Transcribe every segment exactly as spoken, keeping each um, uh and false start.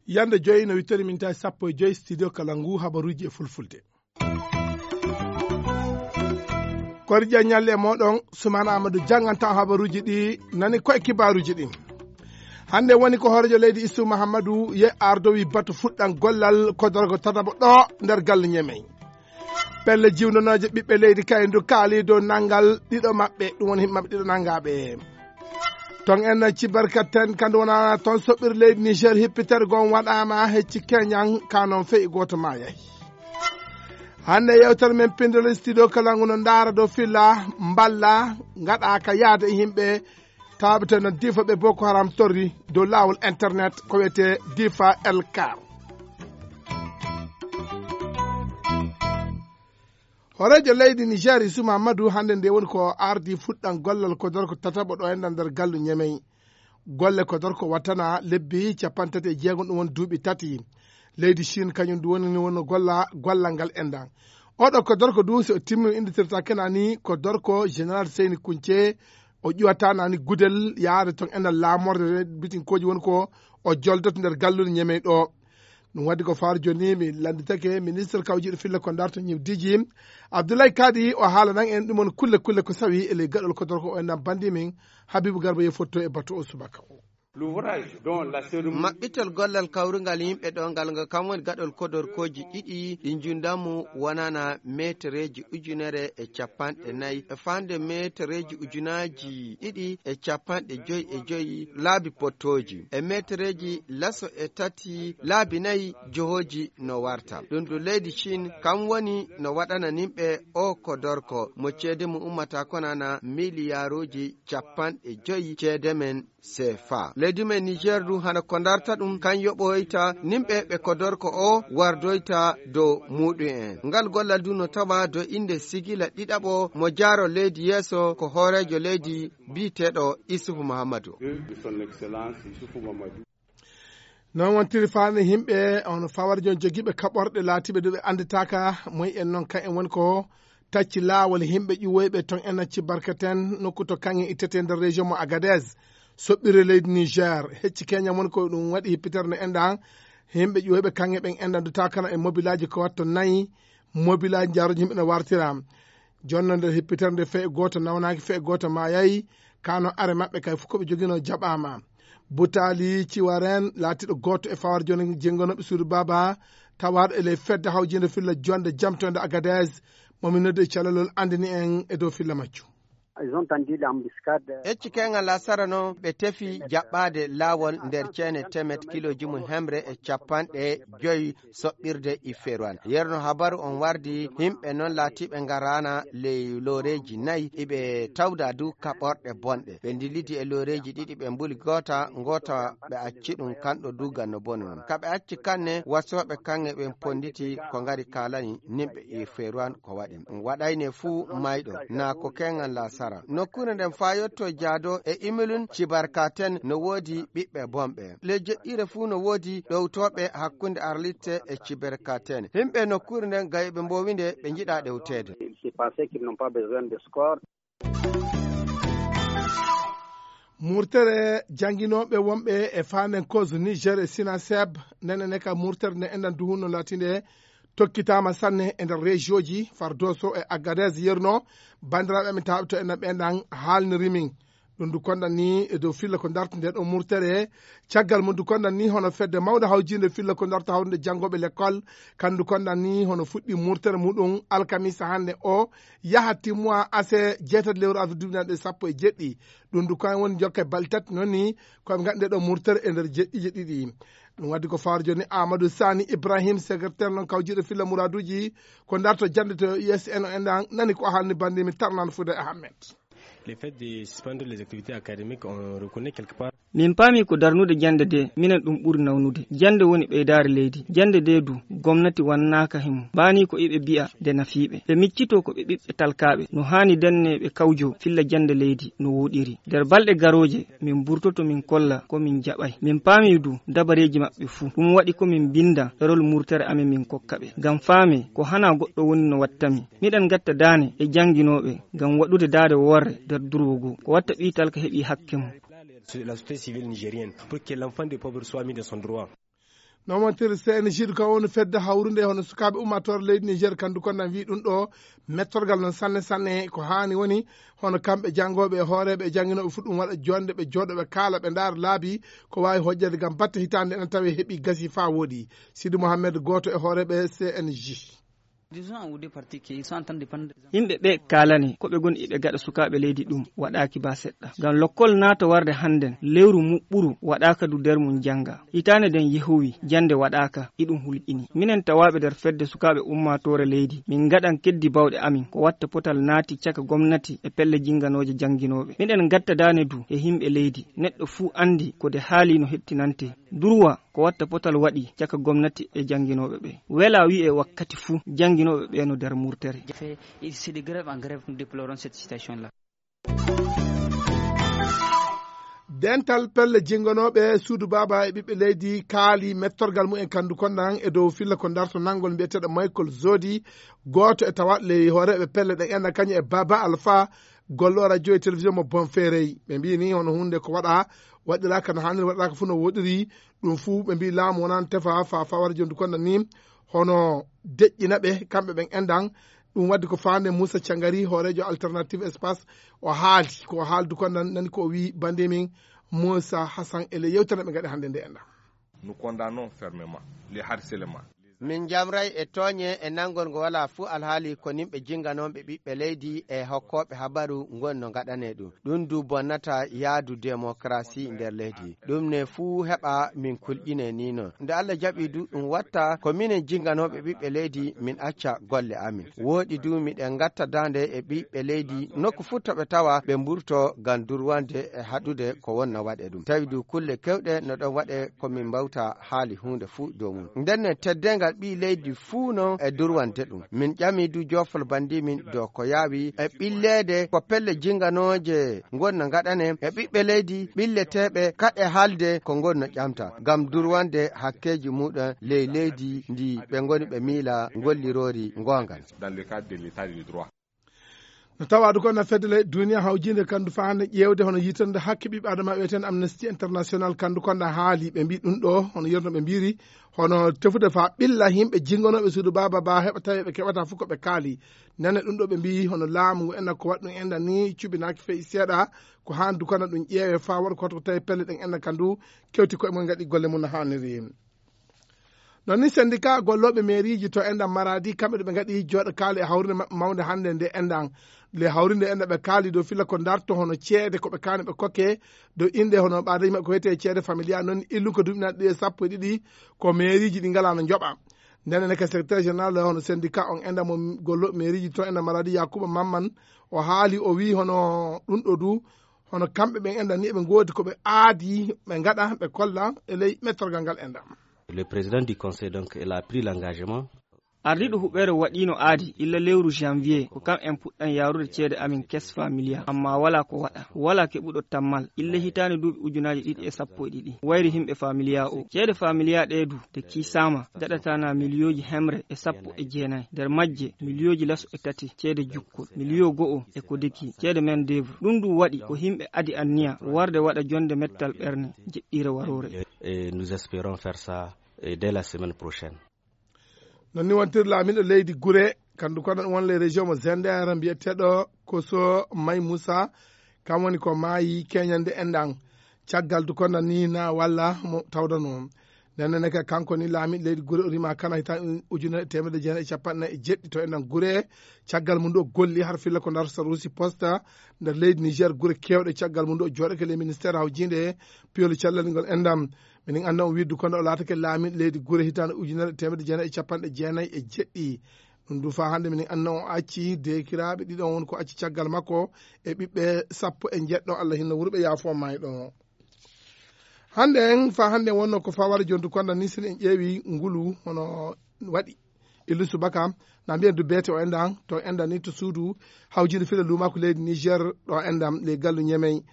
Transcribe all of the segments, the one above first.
Yande joyi no wittori min tawi sappo e joyi studio kala ngu habaruji e fulfulde. Kori ƴaññalle e moɗon Sumana Amadou janganta habaruji ɗi nani koye kibaruji ɗi. Hande woni ko hoorejo leydi Issoufou Mahamadou ye ardowi batu fuɗɗan gollal kodorgo tataɓo ɗo nder galle Ñemey. Pelle jiwndanooje ɓiɓɓe leydi kaydu kaali dow nanngal ɗiɗo maɓɓe, ɗum woni yimɓe maɓɓe ɗiɗo nanngaɓe. Ton en cibarkaten kandu wonana ton soɓɓir leydi Niger hippitere gon waɗama hecci keñan kanon feyi goto ma yahi. Hande yewtere men pindol studio kala nguno ndaara dow filla mballa ngaɗa ka yaade e yimɓe taabete no difa ɓe Boko Haram torri dow laawol internet ko wiyete difa elkar. Hooreejo leydi Niger Issoufou Mahamadou hande nde woni ko ardi fuɗɗan gollal kodorko tataɓo ɗo enɗan nder gallu Ñemey. Golle kodorko wattana lebbi capanɗe tati e jeegom ɗum woni duuɓi tati. Leydi Chine kañum ndu woni ni wonno golla gollal ngal enɗan. Oɗo kodorko du so timmi innditirta kena ni kodorko général Seyni Kunce. O ƴuwata nani gudel yaade ton enɗan laamorde bitinkooji woni ko o joldoto nder gallude Ñemey ɗo. Ɗum waddi ko faaro joni mi lannditake ministre kawjiɗo filla ko darto ñiwdiji. Abdoulaye Kadi o haalanan en ɗum woni kulle kulle ko sawi e ley gaɗol kodorko o enɗan bandi min. Habibu Garba ye fotto e batu o subaka o. Maɓɓitol gollal kawrungal yimɓe ɗo ngal ngo kam woni gaɗol kodorkooji ɗiɗi ɗi njundamu wonana metereeji ujunere e capanɗe nayi e fande metereeji ujunaaji ɗiɗi e capanɗe joyi e joyi laabi pottooji e metereeji laso e tati laabi nayi johooji no warta. Ɗum ɗo leydi Chine kam woni no waɗana nimɓe o kodorko mo ceede mum ummata konana miliyaaruuji capanɗe joyi ceede men. Sefa leydi men Niger du hana ko darta ɗum kan yoɓoyta nimɓe ɓe kodorko o wardoyta dow muɗum en. Ngal gollal du no tawa dow innde sigila ɗiɗaɓo mo jaaro leydi yeeso ko hooreejo leydi biyeteeɗo Issoufou Mahamadou. Non wontiri faami yimɓe on fawarjo jogiiɓe kaɓorɗe laatiiɓe ɗo ɓe annditaaka moy en noon kan en woni ko tacci laawol yimɓe ƴuwoyɓe ton en nacci barkaten nokku to kaŋŋe ittete nder région mo Agadez. Soɓɓire leydi Niger hecci keña woni ko ɗum waɗi hippitere no enɗan yimɓe ƴuwoyɓe kaŋŋe ɓen enɗan duta kana e mobilaaji ko watto nayi. Mobilaaji jaaroji yimɓe no wartira jonno nder hippitere nde fee gooto nawnaaki fee gooto maayayi. Kano are maɓɓe kay fof ko ɓe jogino jaɓaama. Butaali ciwaren laatiiɗo gooto e fawar joni jenngonooɓe suudu baaba tawaaɗo e ley fedde hawjinde filla jonde jamtonde Agadez momi noddi e calalol anndini en e dow filla majjum. Ecci keŋal lasara noon ɓe tefi jaɓɓaade laawol nder ceene temet kilooji mum hemre e capanɗe joyi soɓɓirde Iferuwan. Yerno habaru on wardi yimɓe noon laatiiɓe ngaraana ley looreeji nayi iɓe tawda du kaɓorɗe bonɗe. Ɓe ndillidi e looreeji ɗiɗi ɓe mbuli goota, ngoota ɓe acci ɗum kanɗo dugal no boni noon. Ka ɓe acci kanne wasooɓe kaŋŋe ɓen ponnditi ko ngari kaalani nimɓe Iferuwan ko waɗi. Ɗum waɗayne fuu mayɗo naa ko keŋal lasara. Nokkuure nden faa yotto jaado e Imilun Cibarkaten no woodi ɓiɓɓe bonɓe. Ley jeɗɗiire fuu no woodi ɗowtooɓe hakkunde Arlitte e Ciberkaten. Yimɓe nokkuure nden gayɓe mbowinde ɓe njiɗa ɗewteede. Murtere jannginooɓe wonɓe e faanen koso Niger e Sinaseb nenene ka murtere nde enɗan duhunno laatinde tokkitaama sanne e nder région ji Fardoso e Agadez yerno. Banndiraaɓe amin tawɓe to enɗan ɓe enɗan haalniri min ɗum du konɗan ni e dow filla ko darti nde ɗo murtere. Caggal mum du konɗan ni hono fedde mawde hawjinde filla ko darta hawrude janngooɓe lekkol kandu konɗan ni hono fuɗɗi murtere muɗum alkamisa hannde o yaha timmowa ase jeetati lewru avril duuɓi naɗe sappo e jeɗɗi. Ɗum du kan woni jokke balɗe tati noon ni koɓe ngaɗi nde ɗo murtere e nder jeɗɗiije ɗiɗi. Ɗum waddi ko faaro joni Amadou Sani Ibrahim secrétaire noon kawjiɗo filla muraduji ko darto jannde to U S N o enɗan nani ko haalni bandimi tarnano Fouda Ahmed. Le fait de suspendre les activités académiques, on reconnaît quelque part. Min paami ko darnude jannde de, minen ɗum ɓuri nawnude. Jannde woni ɓeydaare leydi. Jannde de du, gomnati wannaaka himo. Baani ko iɓe bi'a de nafiiɓe. Ɓe miccitoo ko ɓe ɓiɓɓe talkaaɓe. No haani denne ɓe kawjo filla jannde leydi no wooɗiri. Nder balɗe garooje, min burtoto min kolla ko min jaɓay. Min paami du dabareeji maɓɓe fuu. Ɗum waɗi ko min binda ɗerol murtere amen min kokka ɓe. Ngam faame ko hana goɗɗo woni no wattami. Miɗen gatta daane e jannginooɓe ngam waɗude daade worre nder durwo goo. Ko watta ɓii talka heɓi hakke mum. La société civile nigérienne pour que l'enfant des pauvres soit mis dans son droit. Nomontir C N J du kam woni fedde hawrunde hono sukaaɓe ummaatoore leydi Niger kandu konnan wi ɗum ɗo mettorgal non sanne sanne ko haani woni hono kamɓe janngooɓe e hooreeɓe e jannginooɓe fuu ɗum waɗa jonde ɓe jooɗo ɓe kaala ɓe ndaara laabi ko waawi hojjade ngam batte hitaande ene tawi heɓi gasi faa wooɗi. Sidi Mohamed gooto e hooreeɓe C N J. Yimɓe ɓe kaalani ko ɓe ngoni iɓe gaɗa sukaaɓe leydi ɗum waɗaaki ba seɗɗa. Ngam lokkol naata warde hannden lewru muɓɓuru waɗaaka du nder mum jannga. Hitaande nden yehowi jannde waɗaaka iɗum hulɓini. Minen tawaaɓe nder fedde sukaaɓe ummaatoore leydi min ngaɗan keddi bawɗe amin ko watta potal naati caka gomnati e pelle jinnganooje jannginooɓe. Miɗen ngatta daane du e yimɓe leydi. Neɗɗo fuu anndi ko de haali no hettinante. Durwa ko watta potal waɗi caka gomnati e jannginooɓe ɓe. Wela wi'e wakkati fuu jannginooɓe ɓe no nder murtere. Fait, c'est de grève en grève, nous déplorons cette situation-là. Dental pelle jinnganooɓe suudu baaba e ɓiɓɓe leydi kaali mettorgal mumen kandu konnan e dow filla ko darto nanngol mbiyeteeɗo Michael Zodi, gooto e tawaɗ ley hooreeɓe pelle ɗen enɗan kañum e Baba Alpha, gollo radio e télévision mo Bonferey. Ɓe mbii ni hono huunde ko waɗa waɗiraaka no haaniri waɗiraaka fuu no woɗiri. Ɗum fuu ɓe mbii laamu wonaano tefa fa fawara jondu konnan ni hono deƴƴina ɓe kamɓe ɓen enɗan. Ɗum waddi ko faande Moussa Cangari hooreejo Alternative Espace o haali ko o haaldu konnan nani ko o wii bande min Moussa Hassan e ley yewtere ɓe ngaɗi hannde nde enɗan. Nous condamnons fermement les harcèlements. Min njamray e tooñe e nanngol ngo walaa fuu alhaali ko nimɓe jinnganooɓe ɓiɓɓe leydi e hokkooɓe habaru ngon no ngaɗanee ɗum. Ɗum du bonnata yaadu demokarasi nder leydi. Ɗum ne fuu heɓa min kulƴinee nii non. Nde Allah jaɓi du ɗum watta ko minen jinnganooɓe ɓiɓɓe leydi min acca golle amin. Wooɗi du miɗen ngatta daande e ɓiɓɓe leydi nokku fuu to ɓe tawa ɓe mburto ngam durwande e haɗude ko wonna waɗe ɗum. Tawi du kulle kewɗe no ɗon waɗe ko min mbawta haali huunde fuu dow mum. Ndenne teddeengal ɓii leydi fuu non e durwande ɗum. Min ƴami du joofol banndi min dow ko yaawi e ɓilleede ko pelle jinnganooje ngon no ngaɗane e ɓiɓɓe leydi ɓilleteeɓe kaɗe haalde ko ngon no ƴamta ngam durwande hakkeeji muɗum ley leydi ndi ɓe ngoni ɓe miila ngolliroori ngoongal. Dans le cadre de l'état de droit. No tawa du ko na fedde ley duniya hawjinde kandu faande ƴeewde hono yitande hakke ɓiɓɓe adama wiyeten Amnesty International kandu konda haali ɓe mbi ɗum ɗo hono yerno ɓe mbiri hono tefude fa ɓilla yimɓe jingonooɓe suudu baaba ba heɓa tawi ɓe keɓata fof ko ɓe kaali. Nane ɗum ɗo ɓe mbi hono laamu ngu enna ko waɗ ɗum enɗan ni cubinaaki feyi seeɗa. Ko haan du kono ɗum ƴeewe fa waɗa ko tawi pelle ɗen enɗan kandu kewti koye mum gaɗi golle mum no haaniri. Non ni syndicat gollooɓe meeriiji to enɗan maraadi kamɓe ɗo ɓe ngaɗi jooɗo kaali e hawrinde maɓɓe mawnde hannde nde enɗan le hawrinde enɗan ɓe kaali dow filla ko darto hono ceede ko ɓe kaani ɓe kokke dow innde hono ɓaadaji maɓɓe ko wiyetee ceede familia non illu ko duuɓi naɗi ɗi e sappo e ɗiɗi ko meeriiji ɗi ngalaa no njoɓa. Ndenen ne ka secrétaire général hono syndicat on enɗan mo gollooɓe meeriiji to enɗan maraadi yakuba mamman o haali o wii hono ɗum ɗo du hono kamɓe ɓen enɗan ni eɓe ngoodi ko ɓe aadi ɓe ngaɗa ɓe kolla e ley mettorgal ngal enɗan. Le président du conseil donc il a pris l'engagement. Ardiiɗo huɓeere waɗiino aadi illa lewru janvier ko kam en puɗɗan yaarude ceede amin kes familia amma walaa ko waɗa walaa keɓuɗo tammal illa hitaande duuɓi ujunaaji ɗiɗi e sappo e ɗiɗi wayri himɓe familia o ceede familia ɗee du nde kiisaama daɗatana miliyooji hemre e sappo e jeenayi nder majje miliyooji laso e tati ceede jukkol miliyo go'o e ko deki ceede main d'œuvre ɗum du waɗi ko himɓe adi anniya warde waɗa jonde mettal ɓerne jeɗɗiire waroore. Et nous espérons faire ça, euh, dès la semaine prochaine. Non ni wontir laamiɗo leydi gure kandu kono ɗum won ley région mo zender mbiyeteɗo koso may moussa kam woni ko maayi keñande enɗan caggal du kono ni na walla mo tawdano. Nennene ka kanko ni laamiɗo leydi gure o rima kana hitan ujunere e temedde jeenayi e capanɗe nayi e jeɗɗi to enɗan gure caggal mum ɗo golli har filla ko darto sarusi posta nder leydi niger gure kewɗe caggal mum ɗo jooɗake ley ministére hawjinde piyol cellal ngol enɗan. Minin annda on widdu kono o laatake laamiɗo leydi gure hitaande ujunere e temedde jeenayi e capanɗe jeenayi e jeɗɗi. Ɗum du faa hannde minin annda on acci deekiraaɓe ɗiɗon woni ko acci caggal makko e ɓiɓɓe sappo e njeɗɗo allah hinno wuro ɓe yaafo mayɗo. Hannde en, faa hannde en wonnoo ko fawara jontu konda ni, si en ƴeewi ngulu hono waɗi. Illu subaka, na mbiyen du beete o endan, to endan ni to suudu hawjinde fila luumaaku leydi Niger ɗo endan ley gallu Ñemey.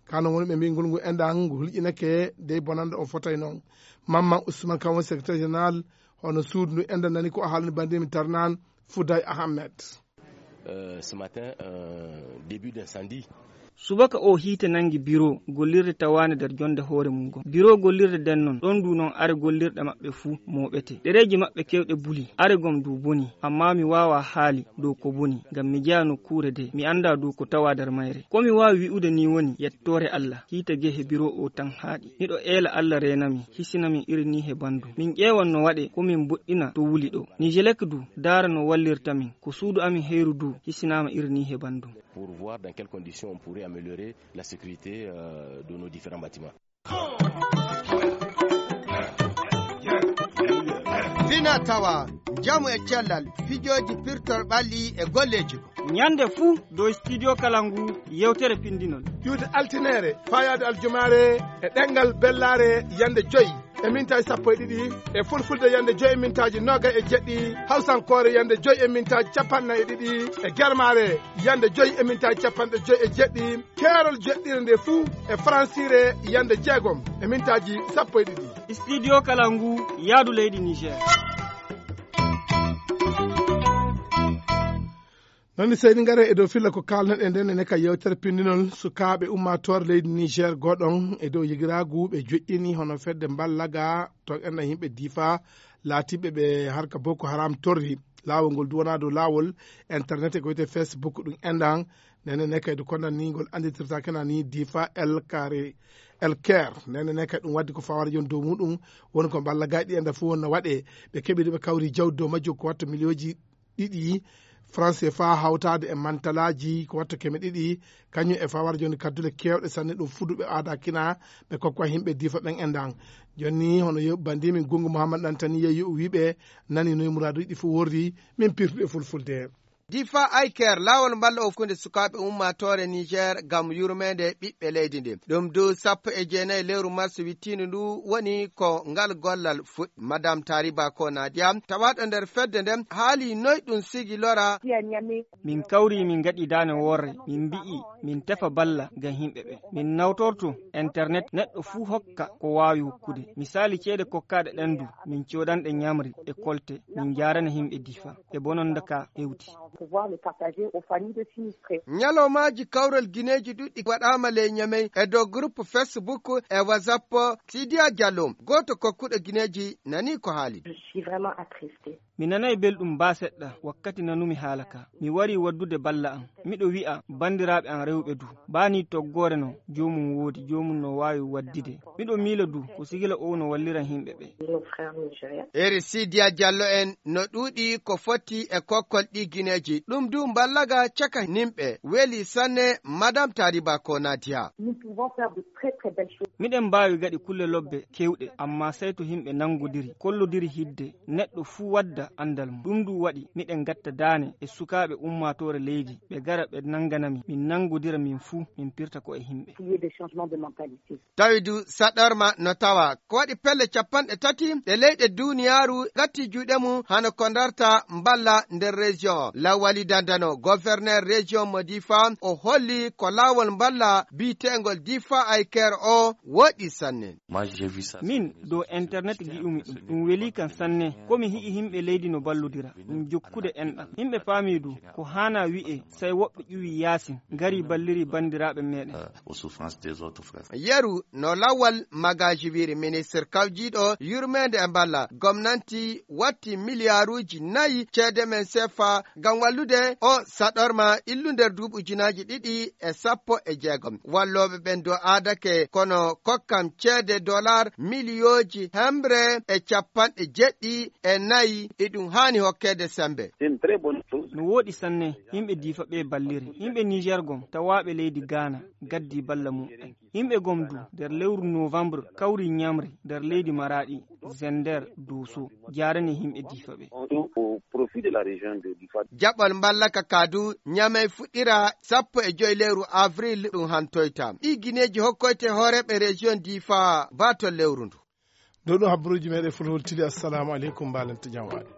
Kano woni ɓe mbi ngol ngu endan ngu hulƴinake dey bonanda o fotay noon. Mamman Ousmane kam woni secrétaire général hono suudu ndu endan nani ko o haalani bandimi Tarnan Fouday Ahmed. Euh, ce matin, un début d'incendie. Subaka o hiite nangi biro gollirde tawaande nder jonde hoore mum gom. Biro gollirde nden non, ɗon du non are gollirɗe maɓɓe fuu mooɓete. Ɗereeji maɓɓe kewɗe buli, are gom du boni, amma mi waawa haali dow ko boni, ngam mi jeyaa nokkuure de, mi anndaa du ko tawaa nder mayre. Ko mi waawi wi'ude ni woni yettoore Allah, hiite gehe biro o tan haaɗi. Miɗo eela Allah reenami, hisinami iri ni he bandu. Min ƴeewan no waɗe ko min mboɗɗina to wuli ɗo. Nijelek du, daara no wallirta min. Ko suudu amin heyru du, hisinaama iri ni he bandu. Pour voir dans quelles conditions on pourrait améliorer la sécurité, euh, de nos différents bâtiments. Fina tawa, njamu e cellal, fijooji pirtol ɓalli e golleeji. Ñande fuu dow studio kala ngu yewtere pindinol. Ƴuwde altineere, faayaade aljumaare e ɗemngal bellaare yande joyi e mintaaji sappo e ɗiɗi, e fulfulde yande joyi e mintaaji noogay e jeɗɗi, hawsankoore yande joyi e mintaaji capanɗe nayi e ɗiɗi, e germaare yande joyi e mintaaji capanɗe joyi e jeɗɗi, keerol joɗɗire nde fuu e faransiire yande jeegom e mintaaji sappo e ɗiɗi. Studio kala ngu yaadu leydi Niger. Noon ni seydi ngare e dow filla ko kaalnoɗen nden ene ka yewtere pindinol sukaaɓe ummaatoore leydi Niger goɗon e dow yigiraagu ɓe joƴƴini hono fedde mballaga to enɗan yimɓe diifa laatiɓe ɓe harka Boko Haram torri. Laawol ngol duwana dow laawol internet e ko wiyetee Facebook ɗum enɗan. Nden ene kadi ko nan ni ngol annditirta kena ni diifa El Kare, El Ker. Nden ene kadi ɗum waddi ko fawara jon dow muɗum woni ko mballagaaji ɗi enɗan fof wonno waɗe. Ɓe keɓiri ɓe kawri jawdi dow majjo ko watta miliyooji ɗiɗi franc C F A hawtaade e mantalaaji ko watta keme ɗiɗi, kañum e fawara jooni kaddule keewɗe sanne ɗum fuɗuɓe aada kina ɓe kokkowa yimɓe diifa ɓen e ndan. Jooni hono yo banndi min Gunngu Muhammad Ɗantani yeeyi o wii ɓe nani noy muraaduuji ɗi fof worri, min pirtuɗe fulfulde. Difa Eye Care, laawol mballa o hakkunde sukaaɓe ummaatoore Niger ngam yurmeende ɓiɓɓe leydi ndi. Ɗum du sappo e jeenayi lewru mars wittiindu ndu woni ko ngal gollal fuɗɗi. Madame Tariba Ko Nadia, tawaaɗo nder fedde nden, haali noy ɗum sigi lora. Min kawri, min ngaɗi daane worre, min mbi'i min tefa balla ngam yimɓe ɓe. Min nawtorto internet, neɗɗo fuu hokka ko waawi hokkude. Misaali ceede kokkaaɗe ɗen du, min coodanɗe ñamri e kolte, min njaarana yimɓe Difa. E bononda ka hewti. Ñalawmaaji kawral gineeji ɗuɗɗi waɗaama ley Ñamey e dow groupe Facebook e WhatsApp. Sidiya Diallo, gooto kokkuɗo gineeji, nani ko haali. Mi nanay belɗum baa seɗɗa wakkati nanumi haala ka. Mi wari waddude balla am. Miɗo wi'a banndiraaɓe am rewɓe du, baa ni toggoore no joomum woodi, joomum no waawi waddide. Miɗo miila du ko sigila o no wallira yimɓe ɓe. Eri Sidiya Diallo en no ɗuuɗi ko foti e kokkol ɗi gineeji. Ɗum du mballaga caka nimɓe. Weli sanne, Madame Tariba Ko Nadia. Miɗen mbaawi gaɗi kulle lobbe kewɗe, amma sey to yimɓe nanngodiri, kollodiri hidde, neɗɗo fuu wadda anndal mum. Ɗum du waɗi miɗen ngatta daane e sukaaɓe ummaatoore leydi, ɓe gara ɓe nannganami, min nanngodira min fuu, min pirta ko e yimɓe. Tawi du saɗorma no tawa. Ko waɗi pelle capanɗe tati ɗe leyɗe duuniyaaru gatti juuɗe mum, hano ko ndarta mballa nder région o. Lawali Dandano, gouverneur région mo Difa, o holli ko laawol mballa biyeteengol Difa Eye Care o woɗi sanne. Min, dow internet gi'umi ɗum. Ɗum weli kan sanne. Ko mi hi'i yimɓe leydi no ballodira. Ɗum jokkude enɗam. Yimɓe paami du, ko haana wi'e, sey woɓɓe ƴuwi yaasin, ngari balliri banndiraaɓe meeɗen. Yeru no lawal magaji wiri, ministre kawjiiɗo yurmeende e mballa gomnanti watti miliyaaruuji nayi ceede men sefa ngam wallude o saɗorma illu nder duuɓi ujunaaji ɗiɗi e sappo e jeegom. Wallooɓe ɓen do aadake, kono kokkam ceede dolar miliyooji hemre e capanɗe jeɗɗi e nayi, e ɗum haani hokkeede sembe. No wooɗi sanne, yimɓe Diifa ɓe balliri. Yimɓe Niger gom, tawaaɓe leydi Ghana, gaddi balla mum en. Yimɓe gomdu nder lewru novembre kawri ñamri nder leydi Maraɗi, Zender, Doso, jarani yimɓe Difa ɓe. Au profit de la région de Difa. Jaɓɓal mballa ka kadu ñamey fuɗɗira sappo e joy lewru avril ɗum hantoyta. Ɗi gineeji hokkoyte hooreeɓe région Difa ba to lewru ndu. Ɗo ɗo habbaruuji meɗen fulfultili. Assalamu aleykum, mbalante jam waɗi.